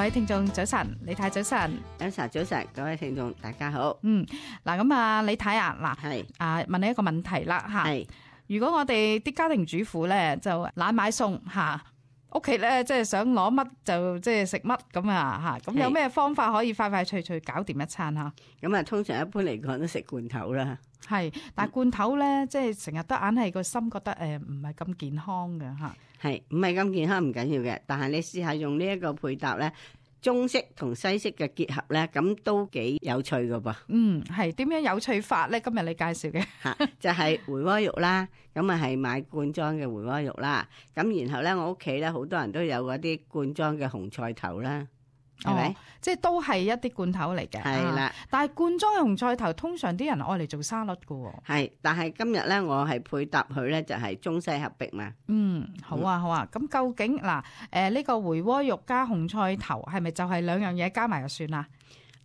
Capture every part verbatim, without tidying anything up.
位聽眾早晨，李太早晨，早晨早晨，各位聽眾大家好。嗯，嗱咁啊，李太啊，嗱係啊，問你一個問題啦吓。係如果我哋啲家庭主婦咧就懶買餸吓，屋企咧即係想攞乜就即係食乜咁啊吓，咁有咩方法可以快快脆脆搞掂一餐吓？咁啊，通常一般嚟講都食罐頭啦。係，但係罐頭咧，即係成日都硬係個心覺得誒唔係咁健康嘅吓。係唔係咁健康唔緊要嘅，但係你試下用呢一個配搭咧，中式同西式嘅結合咧，咁都幾有趣噶噃。嗯，係點樣有趣法咧？今日你介紹嘅吓就係回鍋肉啦，咁啊係買罐裝嘅回鍋肉啦。咁然後咧，我屋企咧好多人都有嗰啲罐裝嘅紅菜頭啦。係咪、哦？即係都係一啲罐頭嚟嘅。係啦、啊，但係罐裝嘅紅菜頭通常啲人愛嚟做沙律㗎。係，但係今日咧，我係配搭佢咧，就係中西合璧嘛。嗯，好啊，好啊。咁、嗯、究竟嗱，誒、呃、呢、這個回鍋肉加紅菜頭係咪就係兩樣嘢加埋就算啦？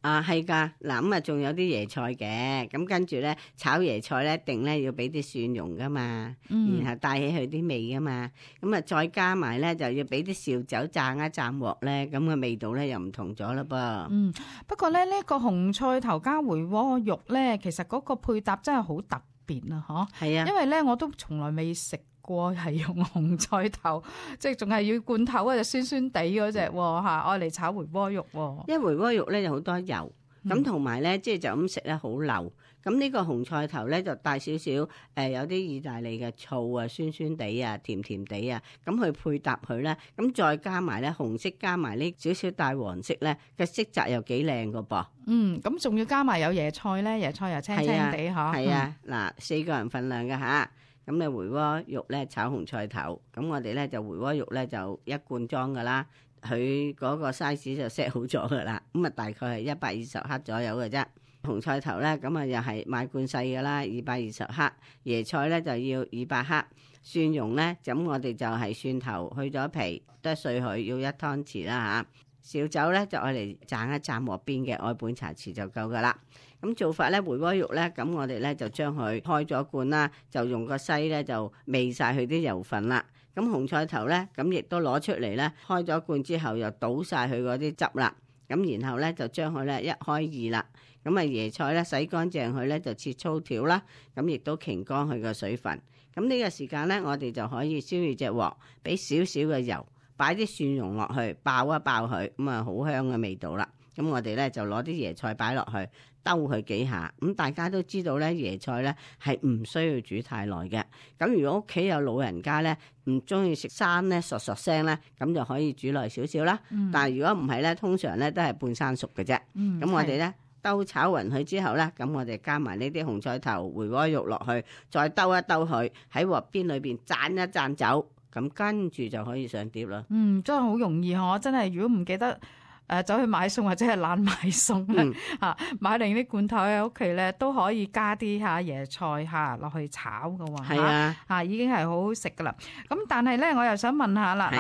啊，係噶，嗱咁啊，仲有啲椰菜嘅，咁跟住咧炒椰菜咧，一定咧要俾啲蒜蓉噶嘛，嗯、然後帶起佢啲味噶嘛，咁啊再加埋咧就要俾啲紹酒炸一炸鑊咧，咁嘅味道咧又唔同咗啦噃。嗯，不過咧呢、這個紅菜頭加回鍋肉咧，其實嗰個配搭真係好特別啊，嗬。係啊，因為咧我都從來未食過係用紅菜頭，即係仲係要罐頭嗰隻酸酸地嗰隻吓，愛嚟炒回鍋肉。因為回鍋肉咧有好多油，咁同埋咧即係就咁食咧好流。咁呢個紅菜頭咧就帶少少誒，有啲意大利嘅醋啊，酸酸地啊，甜甜地啊，咁去配搭佢咧，咁再加埋咧紅色加埋呢少少帶黃色咧嘅色澤又幾靚噶噃。嗯，咁仲要加埋有椰菜咧，椰菜又青青地嗬。係啊，嗱、啊，四個人份量嘅吓。咁你回鍋肉咧炒紅菜頭，咁我哋咧就回鍋肉咧就一罐裝噶啦，佢嗰個 size 就 set 好咗噶啦，咁啊大概係一百二十克左右嘅啫。紅菜頭咧咁啊又係買罐細噶啦，二百二十克。椰菜咧就要二百克。蒜蓉咧，咁我哋就係蒜頭去咗皮，剁碎佢要一湯匙啦吓。紹酒咧就愛嚟蘸一蘸鑊邊嘅，愛半茶匙就夠噶啦。咁做法咧，回鍋肉咧，咁我哋咧就將佢開咗罐啦，就用個篩咧就煨晒佢啲油份啦。咁紅菜頭咧，咁亦都攞出嚟咧，開咗罐之後又倒晒佢嗰啲汁啦。咁然後咧就將佢咧一開二啦。咁啊椰菜咧洗乾淨佢咧就切粗條啦。咁亦都擎乾佢個水分。咁呢個時間咧，我哋就可以燒熱隻鑊，俾少少嘅油，擺啲蒜蓉落去，爆一爆佢，咁啊好香嘅味道啦。咁我哋咧就攞啲椰菜擺落去，兜佢幾下。咁大家都知道咧，椰菜咧係唔需要煮太耐嘅。咁如果屋企有老人家咧，唔中意食生咧，嗦嗦聲咧，咁就可以煮耐少少啦。嗯、但係如果唔係咧，通常咧都係半生熟嘅啫。咁、嗯、我哋咧兜炒勻佢之後咧，咁我哋加埋呢啲紅菜頭、回鍋肉落去，再兜一兜佢喺鑊邊裏邊讚一讚酒，咁跟住就可以上碟啦。嗯，真係好容易嗬！真係如果唔記得。誒走去買餸或者係懶買餸咧嚇，買定啲罐頭喺屋企咧都可以加啲嚇椰菜嚇落去炒嘅喎，係啊嚇已經係好好食噶啦。咁但係咧，我又想問下啦，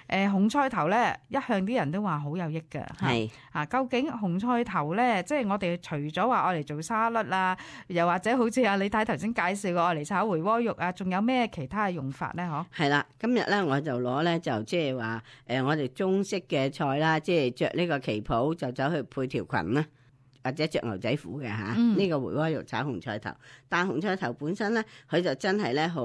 嗱誒紅菜頭咧一向啲人都話好有益嘅，係啊，究竟紅菜頭咧，即係我哋除咗話愛嚟做沙律啊，又或者好似阿李太頭先介紹過愛嚟炒回鍋肉啊，仲有咩其他嘅用法咧？嗬，係啦，今日咧我就攞咧就即係話誒我哋中式嘅菜啦，即係着呢。呢個旗袍就走去配條裙啦，或者着牛仔褲嘅吓，呢、嗯這個回鍋肉炒紅菜頭，但紅菜頭本身咧，佢就真係咧好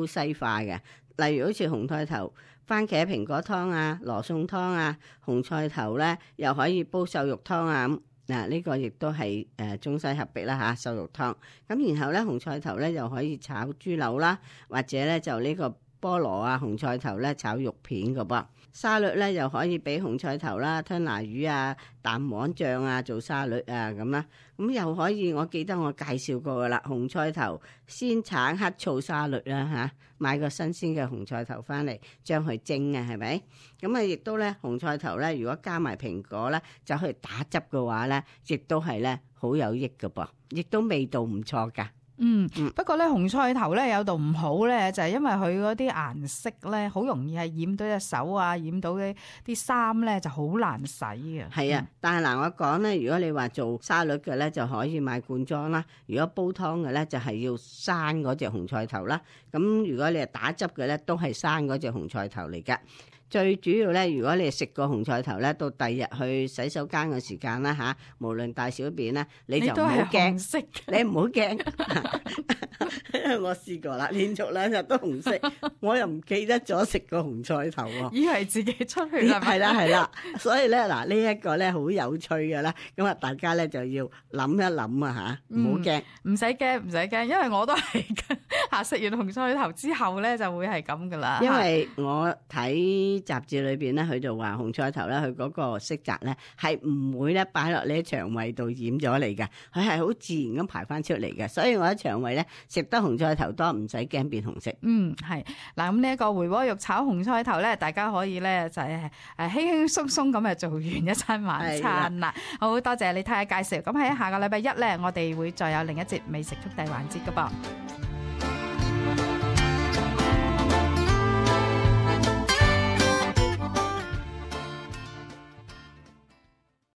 西化嘅。例如好似紅菜頭番茄蘋果湯啊、羅宋湯啊，紅菜頭咧又可以煲瘦肉湯啊。咁嗱，呢個亦都係誒中西合璧啦吓，瘦肉湯。咁然後咧紅菜頭咧又可以炒豬柳啦，或者咧就呢個菠蘿啊紅菜頭咧炒肉片㗎噃。沙律咧又可以俾紅菜頭啦、吞拿魚啊、蛋黃醬啊做沙律啊咁啦，咁又可以，我記得我介紹過噶啦，紅菜頭鮮橙黑醋沙律啦吓，買個新鮮嘅紅菜頭翻嚟，將佢蒸啊，係咪？咁啊，亦都咧紅菜頭咧，如果加埋蘋果咧，就去打汁嘅話咧，亦都係咧好有益噶噃，亦都味道唔錯噶。嗯，不過咧紅菜頭咧有度唔好咧，就係、是、因為佢嗰啲顏色咧，好容易係染到隻手啊，染到啲啲衫咧就好難洗嘅。係啊，但係嗱，我講咧，如果你話做沙律嘅咧，就可以買罐裝啦；如果煲湯嘅咧，就係要生嗰隻紅菜頭啦。咁如果你係打汁嘅咧，都係生嗰隻紅菜頭嚟噶。最主要咧，如果你食過紅菜頭咧，到第二日去洗手間嘅時間啦嚇，無論大小便咧，你就唔好驚，你唔好驚，因為我試過啦，連續兩日都紅色，我又唔記得咗食過紅菜頭喎，以為自己出血啦，係啦係啦，所以咧嗱呢一個咧好有趣嘅啦，咁啊大家咧就要諗一諗啊嚇，唔好驚，唔使驚唔使驚，因為我都係嚇食完紅菜頭之後咧就會係咁噶啦，因為我睇雜誌裏邊咧，佢就話紅菜頭咧，佢嗰個色澤咧係唔會咧擺落你嘅腸胃度染咗嚟嘅，佢係好自然咁排翻出嚟嘅，所以我喺腸胃咧食得紅菜頭多，唔使驚變紅色。嗯，係嗱，咁呢一個回鍋肉炒紅菜頭咧，大家可以咧就係誒輕輕鬆鬆咁就做完一餐晚餐啦。好多謝你睇下介紹，咁喺下個禮拜一咧，我哋會再有另一節美食速遞環節噶噃。